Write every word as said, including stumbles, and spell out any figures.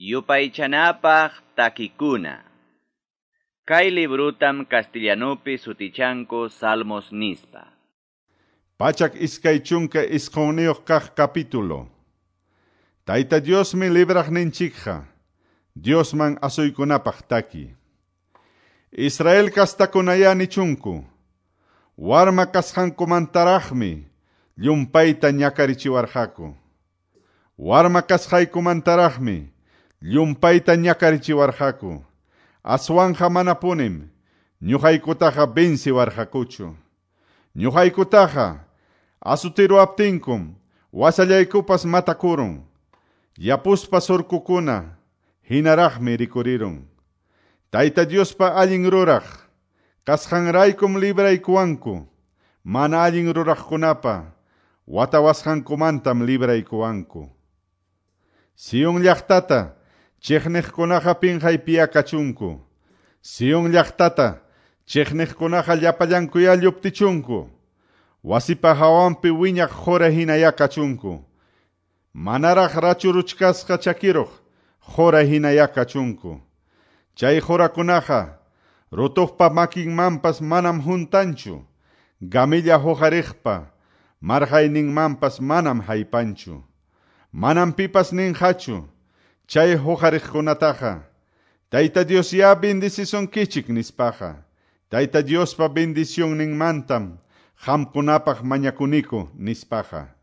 Yupaychanapaq takikuna. Kay librutam castellanupi sutichanku Salmos nispa. Pachak iskay chunka isqunniyuq kaq capítulo. Tayta Diosmi libraqninchikqa, Diosman asuykunapaq taki. Israel kastakunaya nichunku, warma kasqankumantaraqmi llumpayta ñakarichiwarqaku. Warma kasqaykumantaraqmi llumpayta ñakarichiwarqaku. Aswanja manapunim ñuqaykutaqa venciwarqakuchu. Ñuqaykutaqa asutiruaptinkum wasallaykupas matakurun. Yapuspa surkukuna hinaraqmi rikurirun. Tayta Diospa allin ruraq kasqanraykum libraykuwanku. Mana allin ruraqkunapa watawasqankumantam libraykuwanku. Sion llaqtata chiqniqkunaqa pinqaypiya kachunku. Sion llaqtata chiqniqkunaqa llapallankuya lluptichunku. Wasipa hawanpi wiñaq qura hinaya kachunku. Manaraq rachuruchkasqa chakiruq qura hinaya kachunku. Chay qurakunaqa rutuqpa makinmanpas manam huntanchu. Gamilla huqariqpa marqayninmanpas manam haypanchu. Manam pipas ninqachu chay huqariqkunataqa. Tayta Dios ya bendicisunkichik nispaqa. Tayta Diospa bendicionninmantam qamkunapaq mañakuniku nispaqa.